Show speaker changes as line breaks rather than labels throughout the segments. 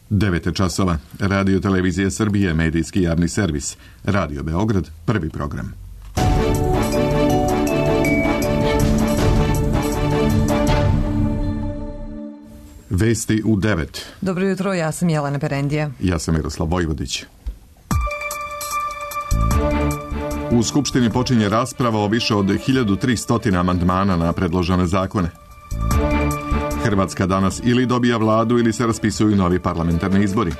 9 časova. Radio Televizije Srbije, medijski javni servis. Radio Beograd, prvi program. Vesti u 9.
Dobro jutro, ja sam Jelena Perendija.
Ja sam Miroslav Vojvodić. U Skupštini počinje rasprava o više od 1300 amandmana na predložene zakone. Hrvatska danas ili dobija vladu ili se raspisuju novi parlamentarni izbori.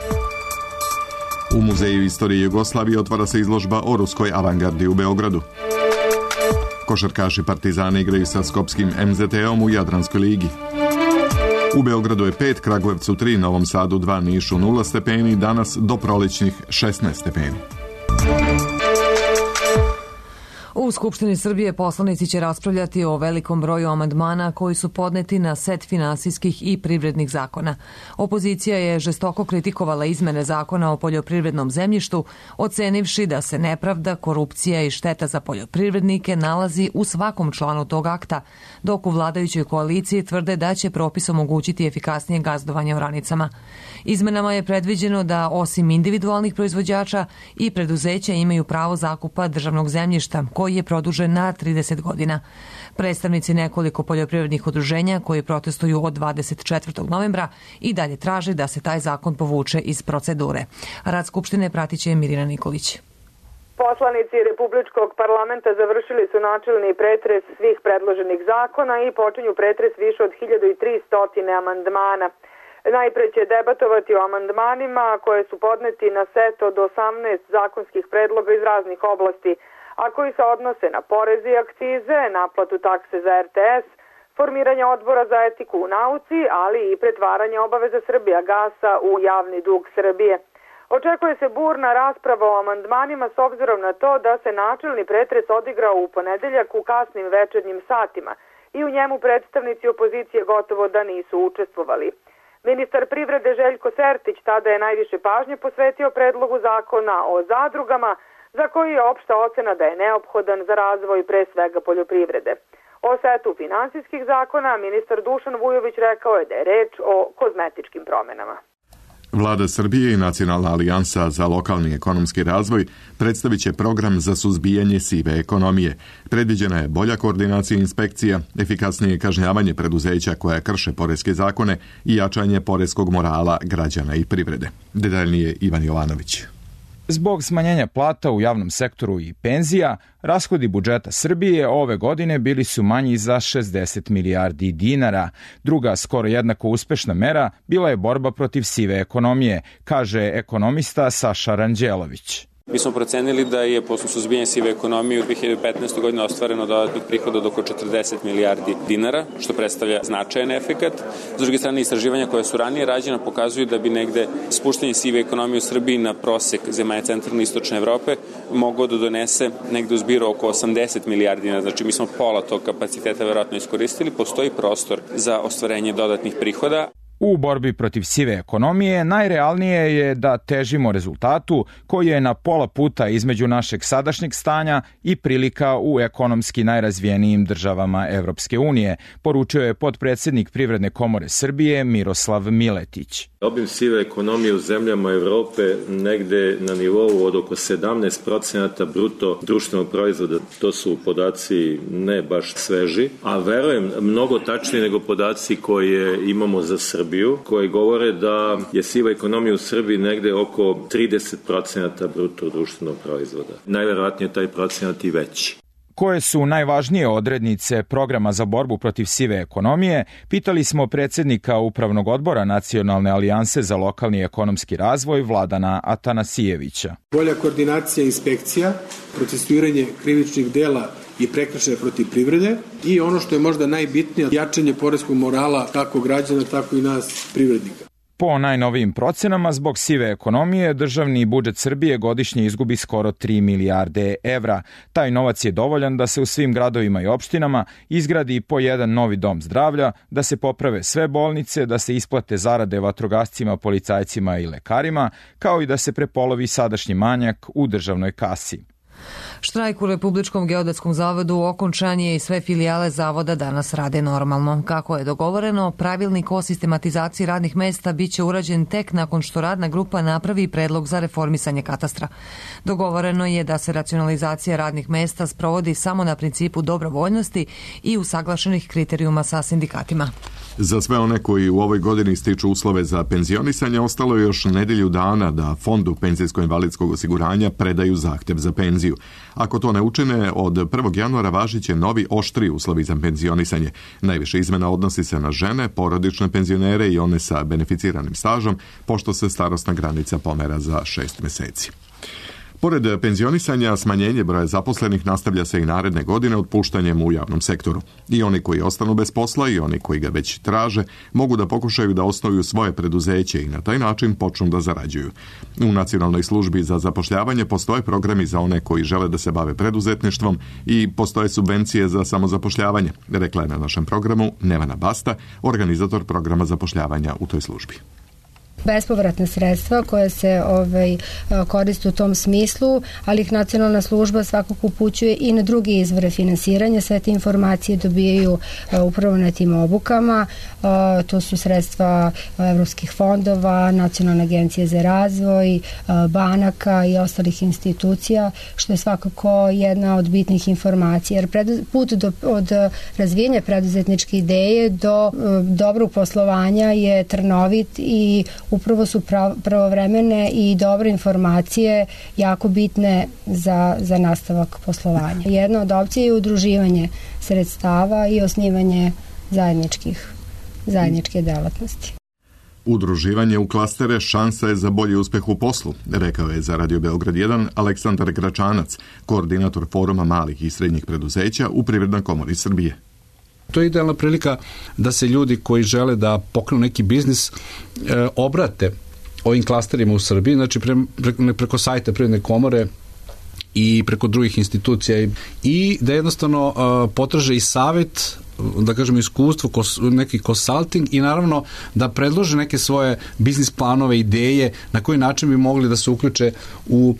U Muzeju istorije Jugoslavije otvara se izložba o ruskoj avangardi u Beogradu. Košarkaši Partizana igraju sa skopskim MZT-om u Jadranskoj ligi. U Beogradu je 5, Kragujevcu 3, Novom Sadu 2, Nišu 0 stepeni, danas do prolećnih 16 stepeni.
U Skupštini Srbije poslanici će raspravljati o velikom broju amandmana koji su podneti na set finansijskih i privrednih zakona. Opozicija je žestoko kritikovala izmene zakona o poljoprivrednom zemljištu, ocenivši da se nepravda, korupcija i šteta za poljoprivrednike nalazi u svakom članu tog akta, dok u vladajućoj koaliciji tvrde da će propis omogućiti efikasnije gazdovanje oranicama. Izmenama je predviđeno da osim individualnih proizvođača i preduzeća imaju pravo zakupa državnog zemljišta, koji je produžen na 30 godina. Predstavnici nekoliko poljoprivrednih udruženja koji protestuju od 24. novembra i dalje traže da se taj zakon povuče iz procedure. Rad Skupštine pratit će Mirina Nikolić.
Poslanici Republičkog parlamenta završili su načelni pretres svih predloženih zakona i počinju pretres više od 1300 amandmana. Najpre će debatovati o amandmanima koje su podneti na set od 18 zakonskih predloga iz raznih oblasti, a koji se odnose na poreze i akcize, naplatu takse za RTS, formiranje odbora za etiku u nauci, ali i pretvaranje obaveza Srbijagasa u javni dug Srbije. Očekuje se burna rasprava o amandmanima s obzirom na to da se načelni pretres odigrao u ponedeljak u kasnim večernjim satima i u njemu predstavnici opozicije gotovo da nisu učestvovali. Ministar privrede Željko Sertić tada je najviše pažnje posvetio predlogu zakona o zadrugama, za koji je opšta ocena da je neophodan za razvoj pre svega poljoprivrede. O setu finansijskih zakona ministar Dušan Vujović rekao je da je reč o kozmetičkim promenama.
Vlada Srbije i Nacionalna alijansa za lokalni ekonomski razvoj predstavit će program za suzbijanje sive ekonomije. Predviđena je bolja koordinacija inspekcija, efikasnije kažnjavanje preduzeća koja krše poreske zakone i jačanje poreskog morala građana i privrede. Detaljnije Ivan Jovanović.
Zbog smanjenja plata u javnom sektoru i penzija, rashodi budžeta Srbije ove godine bili su manji za 60 milijardi dinara. Druga, skoro jednako uspešna mera bila je borba protiv sive ekonomije, kaže ekonomista Saša Ranđelović.
Mi smo procenili da je posle suzbijanja sive ekonomije u 2015. godini ostvareno dodatnih prihoda od oko 40 milijardi dinara, što predstavlja značajan efekat. S druge strane, istraživanja koja su ranije rađena pokazuju da bi negde spuštanje sive ekonomije u Srbiji na prosek zemalja centralne i istočne Evrope mogao da donese negde u zbiru oko 80 milijardi dinara. Znači, mi smo pola tog kapaciteta verovatno iskoristili. Postoji prostor za ostvarenje dodatnih prihoda.
U borbi protiv sive ekonomije najrealnije je da težimo rezultatu koji je na pola puta između našeg sadašnjeg stanja i prilika u ekonomski najrazvijenijim državama Evropske unije, poručio je potpredsednik Privredne komore Srbije Miroslav Miletić.
Obim sive ekonomije u zemljama Evrope negde na nivou od oko 17% bruto društvenog proizvoda. To su podaci ne baš sveži, a verujem mnogo tačnije nego podaci koje imamo za Srbiju, koji govore da je siva ekonomija u Srbiji negde oko 30% bruto društvenog proizvoda. Najverovatnije taj procenat i veći.
Koje su najvažnije odrednice programa za borbu protiv sive ekonomije, pitali smo predsednika Upravnog odbora Nacionalne alijanse za lokalni ekonomski razvoj Vladana Atanasijevića.
Bolja koordinacija inspekcija, procesuiranje krivičnih dela i prekršaja protiv privrede i ono što je možda najbitnije, jačanje poreskog morala kako građana, tako i nas privrednika.
Po najnovijim procenama, zbog sive ekonomije, državni budžet Srbije godišnje izgubi skoro 3 milijarde evra. Taj novac je dovoljan da se u svim gradovima i opštinama izgradi po jedan novi dom zdravlja, da se poprave sve bolnice, da se isplate zarade vatrogascima, policajcima i lekarima, kao i da se prepolovi sadašnji manjak u državnoj kasi.
Štrajk u Republičkom geodetskom zavodu okončan je i sve filijale zavoda danas rade normalno. Kako je dogovoreno, pravilnik o sistematizaciji radnih mesta biće urađen tek nakon što radna grupa napravi predlog za reformisanje katastra. Dogovoreno je da se racionalizacija radnih mesta sprovodi samo na principu dobrovoljnosti i usaglašenih kriterijuma sa sindikatima.
Za sve one koji u ovoj godini stiču uslove za penzionisanje, ostalo je još nedelju dana da Fondu penzijsko-invalidskog osiguranja predaju zahtev za penziju. Ako to ne učine, od 1. januara važiće novi oštri uslovi za penzionisanje. Najviše izmena odnosi se na žene, porodične penzionere i one sa beneficiranim stažom, pošto se starosna granica pomera za 6 meseci. Pored penzionisanja, smanjenje broja zaposlenih nastavlja se i naredne godine otpuštanjem u javnom sektoru. I oni koji ostanu bez posla i oni koji ga već traže mogu da pokušaju da osnuju svoje preduzeće i na taj način počnu da zarađuju. U Nacionalnoj službi za zapošljavanje postoje programi za one koji žele da se bave preduzetništvom i postoje subvencije za samozapošljavanje, rekla je na našem programu Nevana Basta, organizator programa zapošljavanja u toj službi.
Bespovratna sredstva koja se koriste u tom smislu, ali ih Nacionalna služba svakako upućuje i na druge izvore finansiranja. Sve te informacije dobijaju upravo na tim obukama. To su sredstva evropskih fondova, Nacionalne agencije za razvoj, banaka i ostalih institucija, što je svakako jedna od bitnih informacija. Jer put od razvijenja preduzetničke ideje do dobrog poslovanja je trnovit i upravo su pravovremene i dobre informacije jako bitne za nastavak poslovanja. Jedna od opcija je udruživanje sredstava i osnivanje zajedničke delatnosti.
Udruživanje u klastere šansa je za bolji uspeh u poslu, rekao je za Radio Beograd 1 Aleksandar Gračanac, koordinator Foruma malih i srednjih preduzeća u Privrednoj komori Srbije.
To je idealna prilika da se ljudi koji žele da pokrenu neki biznis obrate ovim klasterima u Srbiji, znači preko sajta Privredne komore i preko drugih institucija i da jednostavno potraže i savjet, da kažem iskustvo, neki consulting i naravno da predlože neke svoje biznis planove, ideje na koji način bi mogli da se uključe u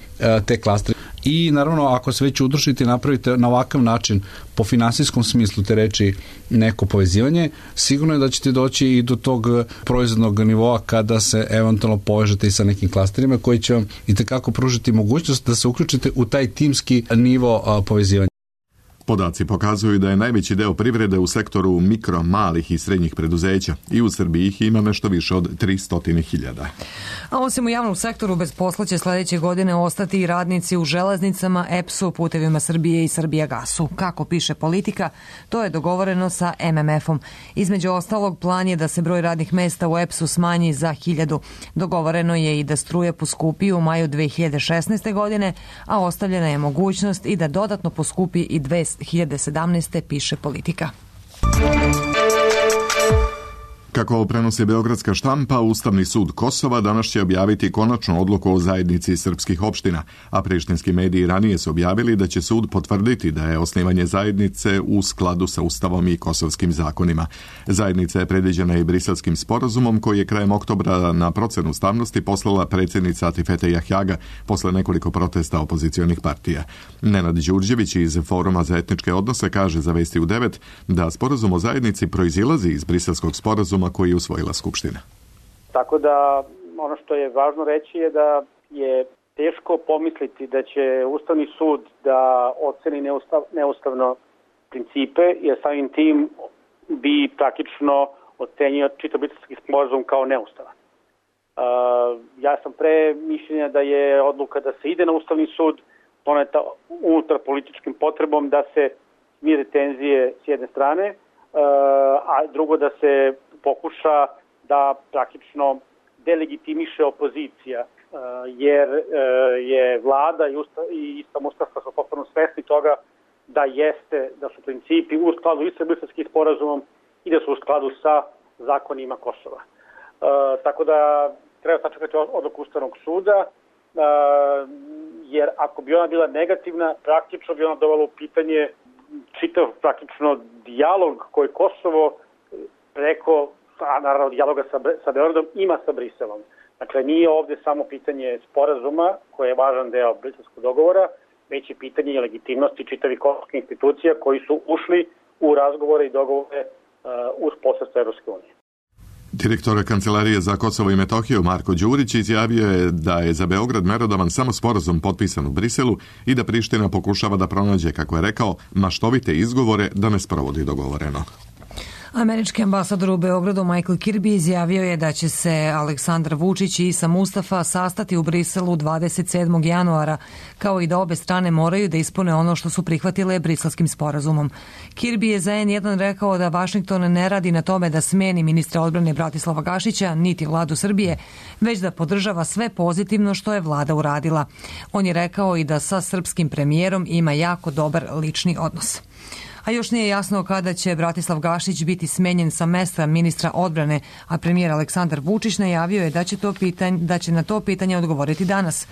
te klastere. I naravno ako se već udružite i napravite na ovakav način po finansijskom smislu te reči neko povezivanje, sigurno je da ćete doći i do tog proizvodnog nivoa kada se eventualno povežete i sa nekim klasterima koji će vam itekako pružiti mogućnost da se uključite u taj timski nivo povezivanja.
Podaci pokazuju da je najveći deo privrede u sektoru mikro, malih i srednjih preduzeća i u Srbiji ih ima nešto više od 300.000.
A osim u javnom sektoru, bez posla će sledeće godine ostati i radnici u železnicama, EPS-u, Putevima Srbije i Srbijagasu. Kako piše Politika, to je dogovoreno sa MMF-om. Između ostalog, plan je da se broj radnih mesta u EPS-u smanji za 1000. Dogovoreno je i da struja poskupi u maju 2016. godine, a ostavljena je mogućnost i da dodatno poskupi i 2017. piše Politika.
Kako prenosi Beogradska štampa, Ustavni sud Kosova danas će objaviti konačnu odluku o zajednici srpskih opština, a prištinski mediji ranije su objavili da će sud potvrditi da je osnivanje zajednice u skladu sa Ustavom i kosovskim zakonima. Zajednica je predviđena i Briselskim sporazumom koji je krajem oktobra na procenu ustavnosti poslala predsjednica Atifete Jahjaga posle nekoliko protesta opozicionih partija. Nenad Đurđević iz Foruma za etničke odnose kaže za Vesti u 9 da sporazum o zajednici proizilazi iz Briselskog sporazuma koji je usvojila Skupština.
Tako da ono što je važno reći je da je teško pomisliti da će Ustavni sud da oceni neustavno principe, jer samim tim bi praktično ocenio čitav briselski sporazum kao neustavan. Ja sam pre mišljenja da je odluka da se ide na Ustavni sud doneta unutar političkim potrebom da se smire tenzije s jedne strane, a drugo da se pokuša da praktično delegitimiše opozicija, jer je vlada i sam Ustavka su potpuno svesni toga da su principi u skladu i sa Briselskim sporazumom i da su u skladu sa zakonima Kosova. Tako da treba sačekati odluku Ustavnog suda, jer ako bi ona bila negativna, praktično bi ona dovela u pitanje čitav praktično dijalog koji Kosovo preko, naravno, dijaloga sa Beogradom ima sa Briselom. Dakle, nije ovde samo pitanje sporazuma, koji je važan deo briselskog dogovora, već je pitanje legitimnosti čitavih kosovskih institucija koji su ušli u razgovore i dogovore uz posredstvo Evropske unije.
Direktor Kancelarije za Kosovo i Metohiju Marko Đurić izjavio je da je za Beograd merodavan samo sporazum potpisan u Briselu i da Priština pokušava da pronađe, kako je rekao, maštovite izgovore da ne sprovodi dogovoreno.
Američki ambasador u Beogradu Michael Kirby izjavio je da će se Aleksandar Vučić i Isa Mustafa sastati u Briselu 27. januara, kao i da obe strane moraju da ispune ono što su prihvatile briselskim sporazumom. Kirby je za N1 rekao da Vašington ne radi na tome da smeni ministra odbrane Bratislava Gašića, niti vladu Srbije, već da podržava sve pozitivno što je vlada uradila. On je rekao i da sa srpskim premijerom ima jako dobar lični odnos. A još nije jasno kada će Bratislav Gašić biti smenjen sa mesta ministra odbrane, a premijer Aleksandar Vučić najavio je da će na to pitanje odgovoriti danas.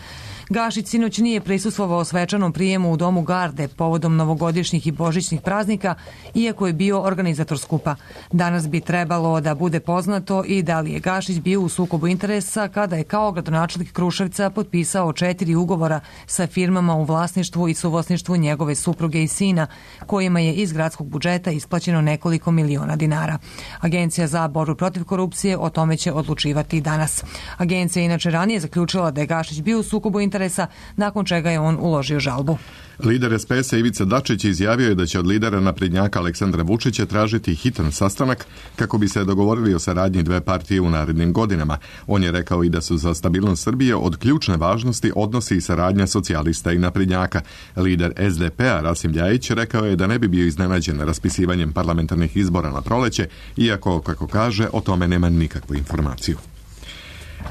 Gašić sinoć nije prisustvovao svečanom prijemu u Domu Garde povodom novogodišnjih i božićnih praznika, iako je bio organizator skupa. Danas bi trebalo da bude poznato i da li je Gašić bio u sukobu interesa kada je kao gradonačelnik Kruševca potpisao 4 ugovora sa firmama u vlasništvu i suvlasništvu njegove supruge i sina, kojima je iz gradskog budžeta isplaćeno nekoliko miliona dinara. Agencija za borbu protiv korupcije o tome će odlučivati danas. Agencija je inače ranije zaključila da je Gašić bio u sukobu interesa, nakon čega je on uložio žalbu.
Lider SPS-a Ivica Dačić izjavio je da će od lidera naprednjaka Aleksandra Vučića tražiti hitan sastanak kako bi se dogovorili o saradnji dve partije u narednim godinama. On je rekao i da su za stabilnost Srbije od ključne važnosti odnosi i saradnja socijalista i naprednjaka. Lider SDP-a Rasim Ljajić rekao je da ne bi bio iznenađen raspisivanjem parlamentarnih izbora na proleće, iako, kako kaže, o tome nema nikakvu informaciju.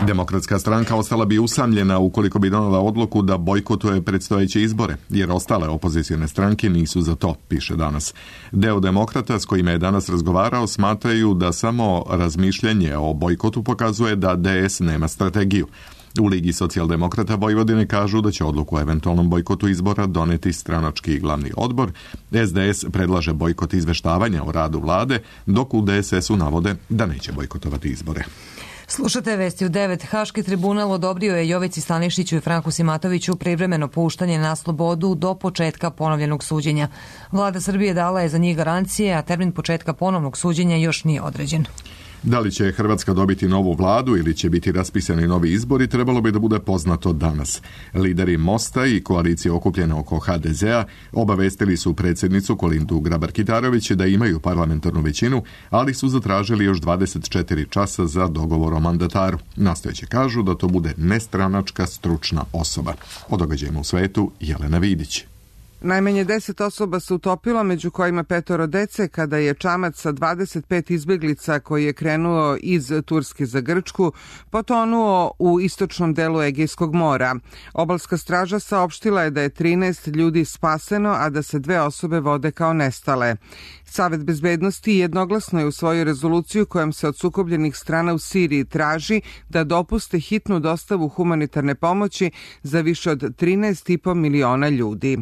Demokratska stranka ostala bi usamljena ukoliko bi donela odluku da bojkotuje predstojeće izbore, jer ostale opozicione stranke nisu za to, piše danas. Deo demokrata s kojima je danas razgovarao smatraju da samo razmišljanje o bojkotu pokazuje da DS nema strategiju. U Ligi socijaldemokrata Vojvodine kažu da će odluku o eventualnom bojkotu izbora doneti stranački glavni odbor. SDS predlaže bojkot izveštavanja o radu vlade, dok u DSS-u navode da neće bojkotovati izbore.
Slušate vesti u 9. Haški tribunal odobrio je Jovici Stanišiću i Franku Simatoviću privremeno puštanje na slobodu do početka ponovljenog suđenja. Vlada Srbije dala je za njih garancije, a termin početka ponovnog suđenja još nije određen.
Da li će Hrvatska dobiti novu vladu ili će biti raspisani novi izbori, trebalo bi da bude poznato danas. Lideri Mosta i koalicije okupljene oko HDZ-a obavestili su predsjednicu Kolindu Grabar-Kitarović da imaju parlamentarnu većinu, ali su zatražili još 24 časa za dogovor o mandataru. Nastojeće kažu da to bude nestranačka stručna osoba. O događajima u svetu Jelena Vidić.
Najmanje 10 osoba se utopilo, među kojima 5 dece, kada je čamac sa 25 izbjeglica koji je krenuo iz Turske za Grčku potonuo u istočnom delu Egejskog mora. Obalska straža saopštila je da je 13 ljudi spaseno, a da se 2 osobe vode kao nestale. Savet bezbednosti jednoglasno je usvojio rezoluciju kojom se od sukobljenih strana u Siriji traži da dopuste hitnu dostavu humanitarne pomoći za više od 13,5 miliona ljudi.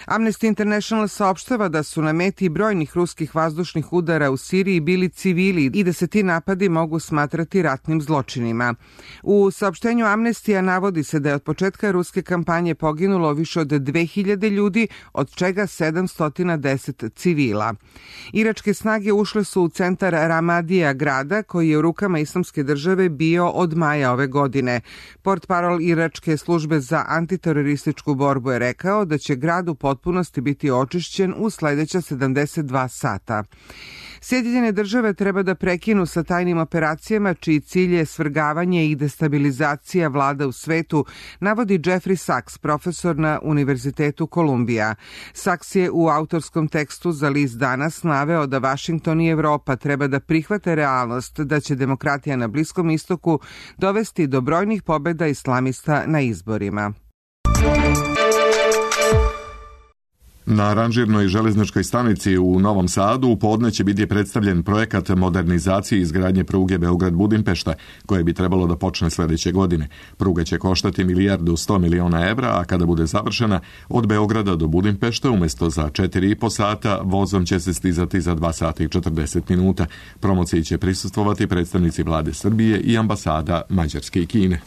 Amnesty International saopštava da su na meti brojnih ruskih vazdušnih udara u Siriji bili civili i da se ti napadi mogu smatrati ratnim zločinima. U saopštenju Amnestija navodi se da je od početka ruske kampanje poginulo više od 2000 ljudi, od čega 710 civila. Iračke snage ušle su u centar Ramadija grada, koji je u rukama Islamske države bio od maja ove godine. Portparol Iračke službe za antiterorističku borbu je rekao da će grad u potpunosti biti očišćen u sledeća 72 sata. Sjedinjene države treba da prekinu sa tajnim operacijama čiji cilj je svrgavanje i destabilizacija vlada u svetu, navodi Jeffrey Sachs, profesor na Univerzitetu Kolumbija. Sachs je u autorskom tekstu za list Danas naveo da Vašington i Evropa treba da prihvate realnost da će demokratija na Bliskom istoku dovesti do brojnih pobjeda islamista na izborima.
Na ranžirnoj železničkoj stanici u Novom Sadu u podne će biti predstavljen projekat modernizacije i izgradnje pruge Beograd-Budimpešta, koje bi trebalo da počne sledeće godine. Pruga će koštati 1.100 miliona evra, a kada bude završena, od Beograda do Budimpešta umjesto za 4,5 sata, vozom će se stizati za 2 sata i 40 minuta. Promociji će prisustvovati predstavnici vlade Srbije i ambasada Mađarske i Kine.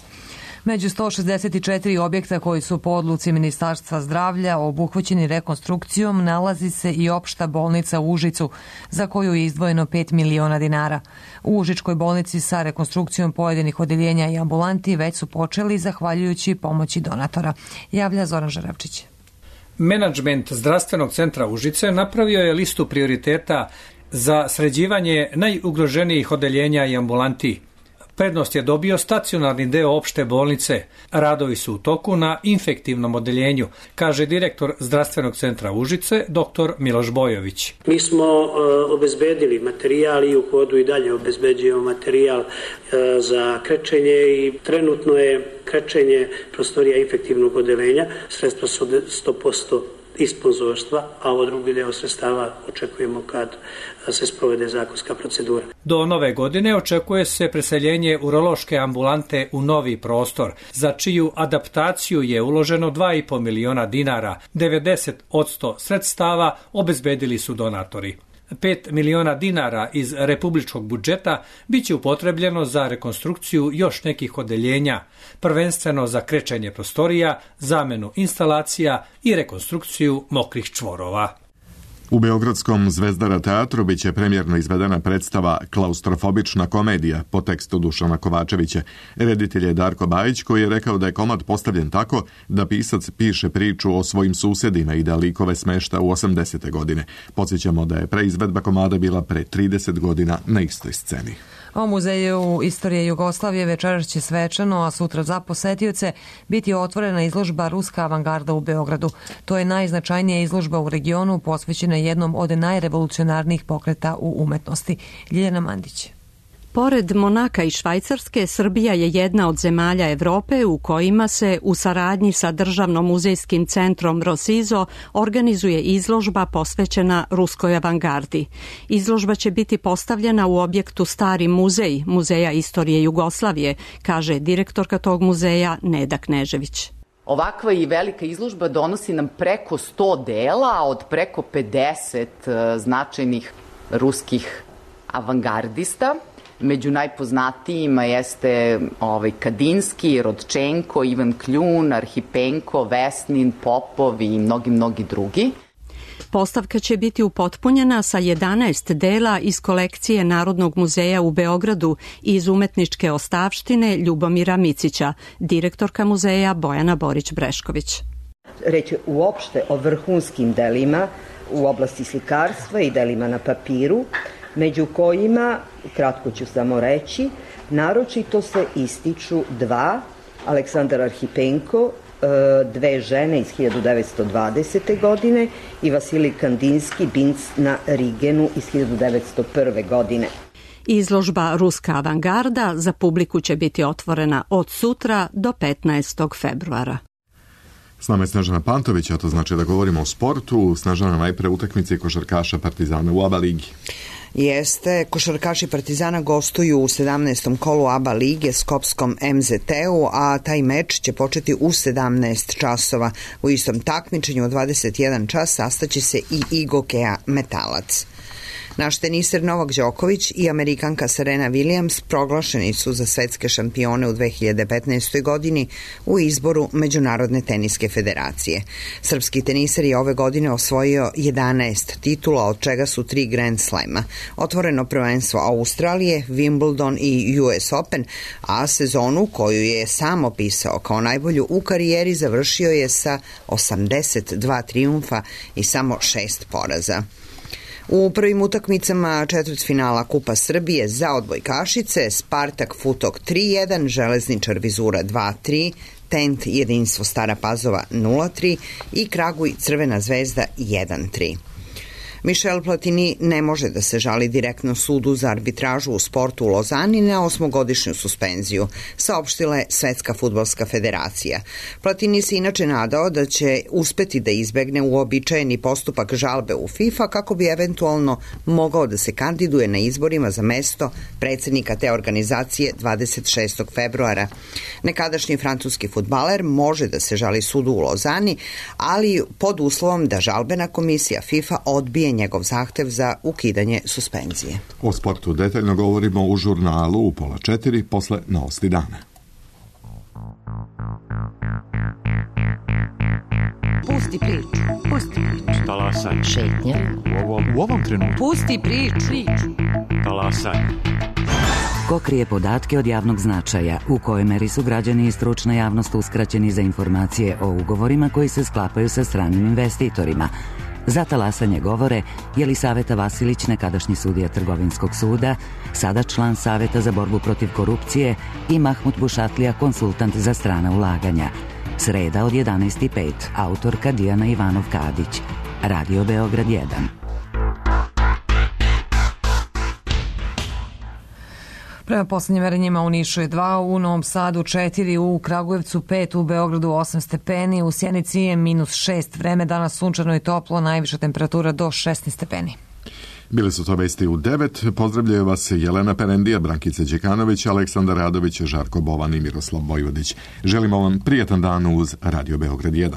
Među 164 objekta koji su po odluci Ministarstva zdravlja obuhvaćeni rekonstrukcijom nalazi se i opšta bolnica u Užicu, za koju je izdvojeno 5 miliona dinara. U Užičkoj bolnici sa rekonstrukcijom pojedinih odeljenja i ambulanti već su počeli zahvaljujući pomoći donatora. Javlja Zoran Žarevčić.
Menadžment zdravstvenog centra Užice napravio je listu prioriteta za sređivanje najugroženijih odeljenja i ambulanti. Prednost je dobio stacionarni deo opšte bolnice. Radovi su u toku na infektivnom odeljenju, kaže direktor zdravstvenog centra Užice, dr. Miloš Bojović.
Mi smo obezbedili materijal i u hodu i dalje obezbeđujemo materijal za krečenje i trenutno je krečenje prostorija infektivnog odeljenja. Sredstva su 100% iz sponzorstva, a ovo drugi deo sredstava očekujemo kad se sprovede zakonska procedura.
Do nove godine očekuje se preseljenje urološke ambulante u novi prostor, za čiju adaptaciju je uloženo 2,5 miliona dinara. 90% sredstava obezbedili su donatori. 5 miliona dinara iz republičkog budžeta biće upotrebljeno za rekonstrukciju još nekih odeljenja, prvenstveno za krečenje prostorija, zamenu instalacija i rekonstrukciju mokrih čvorova.
U Beogradskom Zvezdara teatru biće premjerno izvedena predstava Klaustrofobična komedija po tekstu Dušana Kovačevića. Reditelj je Darko Bajić, koji je rekao da je komad postavljen tako da pisac piše priču o svojim susjedima i da likove smešta u 80. godine. Podsjećamo da je preizvedba komada bila pre 30 godina na istoj sceni.
O Muzeju istorije Jugoslavije večeras će svečano, a sutra za posetioce biti otvorena izložba Ruska avangarda u Beogradu. To je najznačajnija izložba u regionu posvećena jednom od najrevolucionarnijih pokreta u umetnosti. Ljiljana Mandić.
Pored Monaka i Švajcarske, Srbija je jedna od zemalja Evrope u kojima se u saradnji sa Državnom muzejskim centrom Rosizo organizuje izložba posvećena ruskoj avangardi. Izložba će biti postavljena u objektu Stari muzej, Muzeja istorije Jugoslavije, kaže direktorka tog muzeja Neda Knežević.
Ovakva i velika izložba donosi nam preko 100 dela od preko 50 značajnih ruskih avangardista. Među najpoznatijima jeste Kadinski, Rodčenko, Ivan Kljun, Arhipenko, Vesnin, Popov i mnogi drugi.
Postavka će biti upotpunjena sa 11 dela iz kolekcije Narodnog muzeja u Beogradu i iz umetničke ostavštine Ljubomira Micića, direktorka muzeja Bojana Borić-Brešković.
Reč je uopšte o vrhunskim delima u oblasti slikarstva i delima na papiru, među kojima, kratko ću samo reći, naročito se ističu dva, Aleksandar Arhipenko, dve žene iz 1920. godine i Vasilij Kandinski, Binc na Rigenu iz 1901. godine.
Izložba Ruska avangarda za publiku će biti otvorena od sutra do 15. februara.
S nama je Snežana Pantović, a to znači da govorimo o sportu. Snežana, najpre utakmice košarkaša Partizana u ABA ligi.
Jeste, košarkaši Partizana gostuju u 17. kolu ABA lige s Skopskom MZT-u, a taj meč će početi u 17 časova. U istom takmičenju od 21 čas sastaće se i Igokea Metalac. Naš teniser Novak Đoković i Amerikanka Serena Williams proglašeni su za svetske šampione u 2015. godini u izboru Međunarodne teniske federacije. Srpski teniser je ove godine osvojio 11 titula, od čega su 3 Grand Slema. Otvoreno prvenstvo Australije, Wimbledon i US Open, a sezonu koju je sam opisao kao najbolju u karijeri završio je sa 82 trijumfa i samo 6 poraza. U prvim utakmicama četvrtfinala Kupa Srbije za odbojkašice Spartak Futok 3-1, Železničar Vizura 2-3, Tent Jedinstvo Stara Pazova 0-3 i Kraguj Crvena Zvezda 1-3. Michel Platini ne može da se žali direktno sudu za arbitražu u sportu u Lozani na 8-godišnju suspenziju, saopštila je Svetska fudbalska federacija. Platini se inače nadao da će uspeti da izbegne uobičajeni postupak žalbe u FIFA kako bi eventualno mogao da se kandiduje na izborima za mesto predsednika te organizacije 26. februara. Nekadašnji francuski fudbaler može da se žali sudu u Lozani, ali pod uslovom da žalbena komisija FIFA odbije njegov zahtev za ukidanje suspenzije.
O sportu detaljno govorimo u žurnalu u 3:30 posle novosti dana.
Pusti priču. Pusti priču.
Talasaj.
Šetnja.
U ovom trenutku.
Pusti priču.
Talasaj.
Ko krije podatke od javnog značaja, u kojoj meri su građani i stručna javnost uskraćeni za informacije o ugovorima koji se sklapaju sa stranim investitorima. Za talasanje govore Jelisaveta Vasilić, nekadašnji sudija Trgovinskog suda, sada član Saveta za borbu protiv korupcije, i Mahmut Bušatlija, konsultant za strana ulaganja. Sreda od 11:05, autorka Dijana Ivanov-Kadić. Radio Beograd 1.
Prema poslednjim merenjima u Nišu je 2, u Novom Sadu 4, u Kragujevcu 5, u Beogradu 8 stepeni, u Sjenici je -6, vreme danas sunčano i toplo, najviša temperatura do 16 stepeni.
Bile su to vesti u 9. Pozdravljaju vas Jelena Perendija, Brankica Đekanović, Aleksandar Radović, Žarko Bovan i Miroslav Vojvodić. Želimo vam prijatan dan uz Radio Beograd 1.